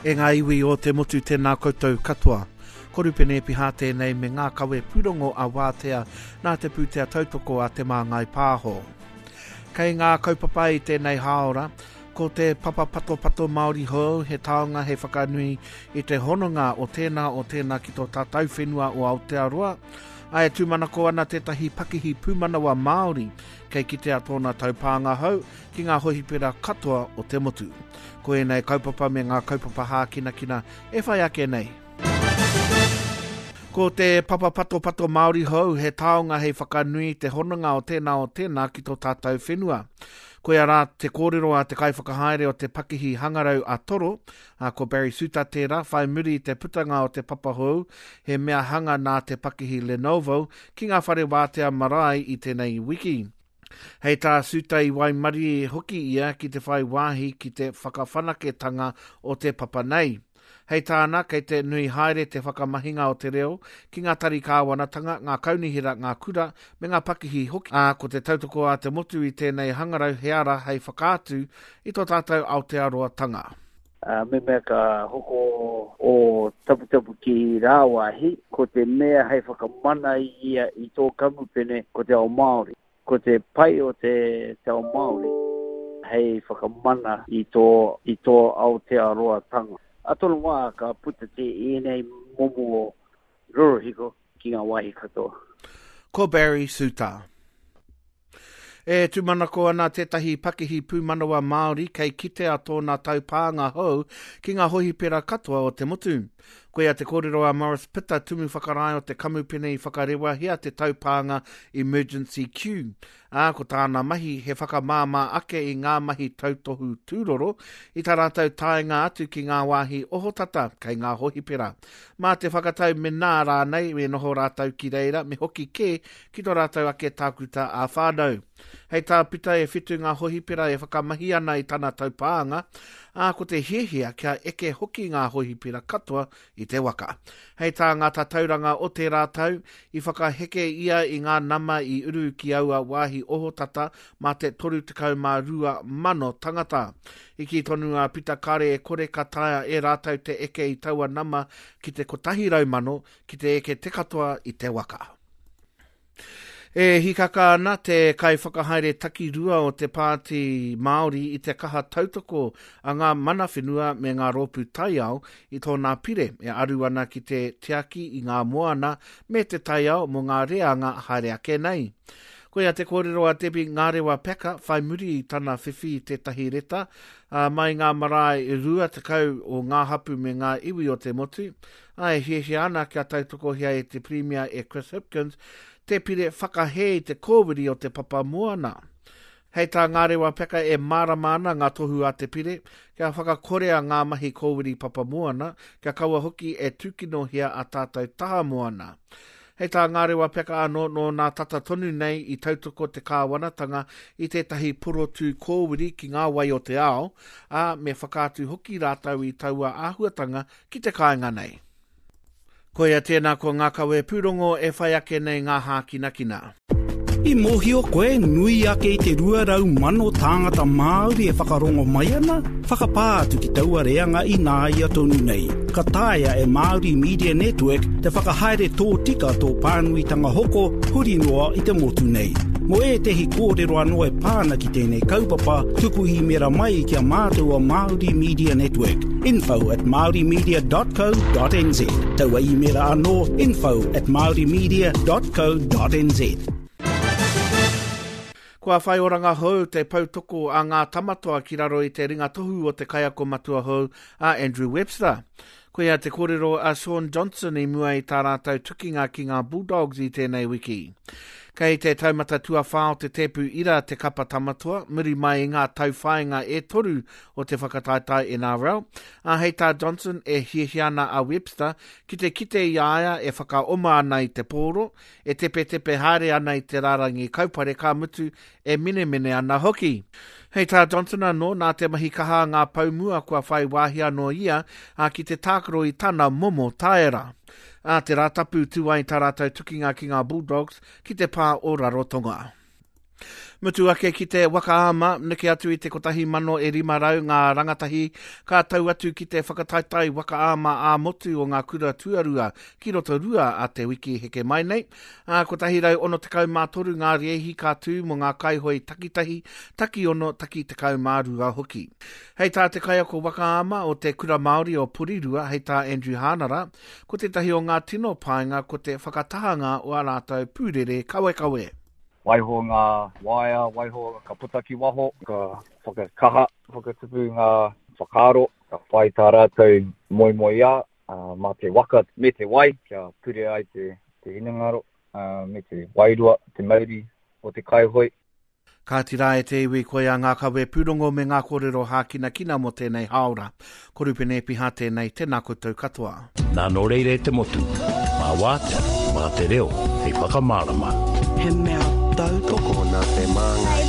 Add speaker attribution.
Speaker 1: E ngā iwi o te motu tēnā koutou katoa. Ko Rupene Epiha tēnei me ngā kawe pūrongo a Wātea nā te pūtea tautoko a Te Māngai Pāho. Kei ngā kaupapa i tēnei hāora, ko te papa patopato Māori hou he taonga hei whakanui i te hononga o tēnā o tēnā ki tō tātou whenua o Aotearoa, ā, e tūmanako ana tētahi pakihi pūmanawa Māori kei kitea tōna taupānga hou ki ngā hohipera katoa o te motu. Ko ēnei kaupapa me ngā kaupapa hākinakina e whai ake nei. Ko te papa patopato Māori hou he taonga hei whakanui i te hononga o tēnā o tēnā ki tō tātou whenua. Koia rā te kōrero a te kaiwhakahaere o te pakihi hangarau a Toro, a ko Barry Suta tērā, whai muri i te putanga o te papa hou, he mea hanga nā te pakihi Lenovo ki ngā whare wātea marae i tēnei wiki. Hei tā Suta i waimarie hoki ia ki te whai wāhi ki te whakawhanaketanga o te papa nei. Hei tāna, kei te nui haere te whakamahinga o te reo ki ngā tari kāwanatanga, ngā kaunihera, ngā kura, me ngā pakihi hoki, ā, ko te tautoko a te motu i tēnei hangarau he ara hei whakaatu i tō tātou Aotearoatanga.
Speaker 2: Ā, mehemea ka hoko ō taputapu ki rāwāhi, ko te mea hei whakamana i ia i tō kamupene ko te ao Māori. Ko te pai o te te ao Māori hei whakamana i tō i tō Aotearoatanga. A tōna wā ka puta te ēnei momo rorohiko ki ngā wāhi katoa.
Speaker 1: Ko Barry Suta. E tūmanako ana tētahi pakihi pūmanawa Māori kei kitea tōna taupānga hou ki ngā hohipera katoa o te motu. Koia te kōrero a Morris Pitta, tumu whakarae o te kamupene i whakarewahia te taupānga Emergency Queue, ā, ko tāna mahi he whakamāmā ake i ngā mahi tautohu tūroro i tā rātou taenga atu ki ngā wāhi ohotata kei ngā hohipera. Mā te whakatau menā rānei me noho rātou ki reira me hoki kē ki tō rātou ake tākuta ā-whānau. Hei tā Pita e whitu ngā hohipera e whakamahi ana i tana taupānga, ā, ko te hiahia kia eke hoki ngā hohipera katoa i te waka. Hei tā ngā tatauranga o tērā tau, i whakaheke ia i ngā nama i uru ki aua wāhi ohotata mā te 32,000 tangata. I kī tonu a Pita kāre e kore ka taea e rātou te eke i taua nama ki te 100,000 ki te eke te katoa i te waka. E hikaka ana te kaiwhakahaere takirua o te Pāti Māori i te kaha tautoko a ngā mana whenua me ngā rōpū taiao i tōna pire e aru ana ki te tiaki i ngā moana me te taiao mō ngā reanga haere ake nei. Koia te kōrero a Debbie Ngarewa Packer whai muri i tana whiwhi i tētahi reta mai ngā marae 20 o ngā hapu me ngā iwi o te motu, ā, e hiahia ana kia tautokohia e te Pirimia e Chris Hipkins te pire whakahē i te kōwiri o te papa moana. Hei tā Ngarewa Peka e mārama ana ngā tohu a te pire, kia whakakorea ngā mahi kōwiri papa moana, kia kaua hoki e tūkinohia a tātou taha moana. Hei tā Ngarewa Peka anō, nō nā tata tonu nei i tautoko te kāwanatanga i tētahi porotū kōwiri ki ngā wai o te ao, ā, me whakaatu hoki rātou i taua āhuatanga ki te kāinga nei. Koia tēnā ko ngā kawe pūrongo e whai ake nei ngā hākinakina.
Speaker 3: I mōhio koe nui ake i te 200,000 tāngata Māori e whakarongo mai ana? Whakapā atu ki taua reanga ināia tonu nei. Ka taea e Māori Media Network te whakahaere tōtika tō pānuitanga hoko huri noa i te motu nei. Mō ētehi kōrero anō e pā ana ki tēnei kaupapa, tuku īmēra mai ki a mātou o Māori Media Network. Info at maorimedia.co.nz. Taua īmēra anō, info at maorimedia.co.nz.
Speaker 1: Kua whai oranga hou te poutoko a ngā tamatoa ki raro i te ringa tohu o te kaiako matua hou a Andrew Webster. Koia te kōrero a Shaun Johnson i mua i tā rātou tukinga ki ngā Bulldogs i tēnei wiki. Kei te taumata tuawhā o te tēpu ira te kapa tamatoa, muri mai i ngā tauwhāinga e toru o te whakataetae NRL, ā, hei tā Johnson e hiahia ana a Webster ki te kite i a ia e whakaoma ana i te pōro, e tepetepe haere ana i te rārangi kaupare ka mutu e menemene ana hoki. Hei tā Johnson anō, nā te mahi kaha a ngā pou mua kua whai wāhi anō ia ā, ki te tākaro i tana momo taera. Ā te Rātapu tū ai tā rātou tukinga ki ngā Bulldogs ki te pā o Rarotonga. Mutu ake ki te waka ama, neke atu i te 1,500 ngā rangatahi ka tau atu ki te whakataetae waka ama ā-motu o ngā kura tuarua ki Rotorua a te wiki heke mai nei. Ā, 163 ngā rēhi ka tū mō ngā kaihoe takitahi, takiono, taki 12 hoki. Hei tā te kaiako waka ama o te Kura Māori o Porirua, hei tā Andrew Hānara, ko tētahi o ngā tino painga ko te whakatahanga o ā rātou pūrere kawekawe.
Speaker 4: Waiho ngā waea, waiho ka puta ki waho, ka whakakaha, whakatupu ngā whakaaro, ka whai tā rātou moemoeā mā te waka me te wai kia pure ai te hinengaro me te wairua, te mauri o te kaihoe.
Speaker 1: Kāti rā e te iwi, koia ngā kawe pūrongo me ngā kōrero hākinakina mō tēnei hāora. Ko Rupene Epiha tēnei, tēnā koutou katoa.
Speaker 5: Nā nō reira e te motu, mā wātea, mā te reo hei whakamārama.
Speaker 6: He mea tautoko.
Speaker 7: Tokona te māngai.